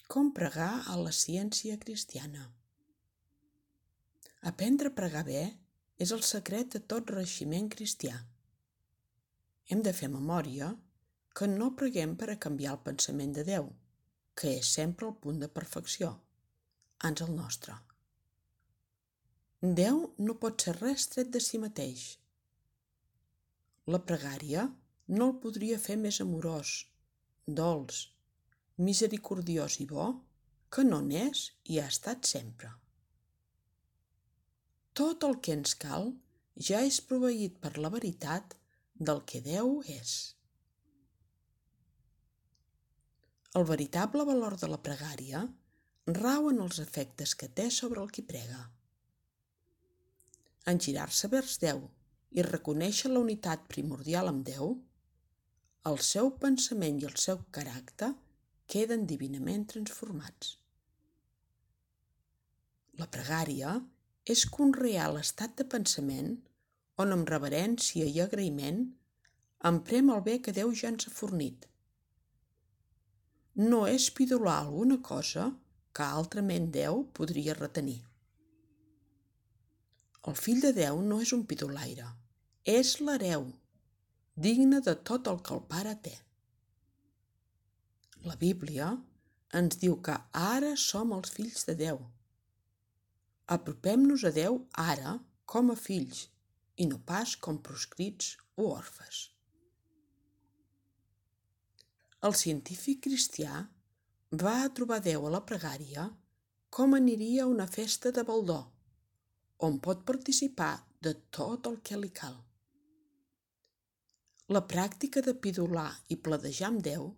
Com pregar a la ciència cristiana. Aprendre a pregar bé és el secret de tot reeiximent cristià. Hem de fer memòria que no preguem per a canviar el pensament de Déu, que és sempre el punt de perfecció, ans el nostre. Déu no pot ser res tret de si mateix. La pregària no el podria fer més amorós, dolç, misericordiós i bo que no n'és i ha estat sempre. Tot el que ens cal ja és proveït per la veritat del que Déu és. El veritable valor de la pregària rau en els efectes que té sobre el qui prega. En girar-se vers Déu i reconèixer la unitat primordial amb Déu, el seu pensament i el seu caràcter queden divinament transformats. La pregària és conrear l'estat de pensament on amb reverència i agraïment emprem el bé que Déu ja ens ha fornit. No és pidolar alguna cosa que altrament Déu podria retenir. El fill de Déu no és un pidolaire, és l'hereu, digne de tot el que el Pare té. La Bíblia ens diu que ara som els fills de Déu. Apropem-nos a Déu ara com a fills i no pas com proscrits o orfes. El científic cristià va a trobar Déu a la pregària com aniria a una festa de baldó, on pot participar de tot el que li cal. La pràctica de pidolar i pledejar amb Déu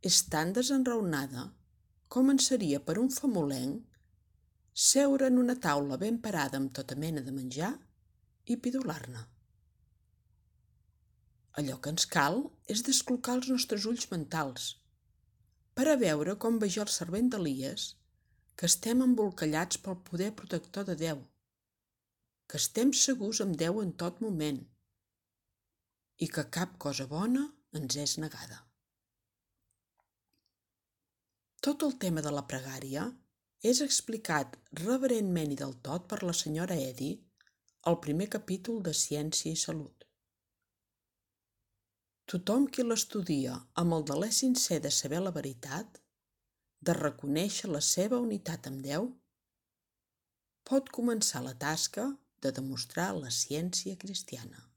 és tan desenraonada com en seria per un famolenc seure en una taula ben parada amb tota mena de menjar i pidolar-ne. Allò que ens cal és desclocar els nostres ulls mentals per a veure com veia el servent d'Elies que estem embolcallats pel poder protector de Déu, que estem segurs amb Déu en tot moment i que cap cosa bona ens és negada. Tot el tema de la pregària és explicat reverentment i del tot per la senyora Eddy al primer capítol de Ciència i Salut. Tothom qui l'estudia amb el deler sincer de saber la veritat, de reconèixer la seva unitat amb Déu, pot començar la tasca de demostrar la ciència cristiana.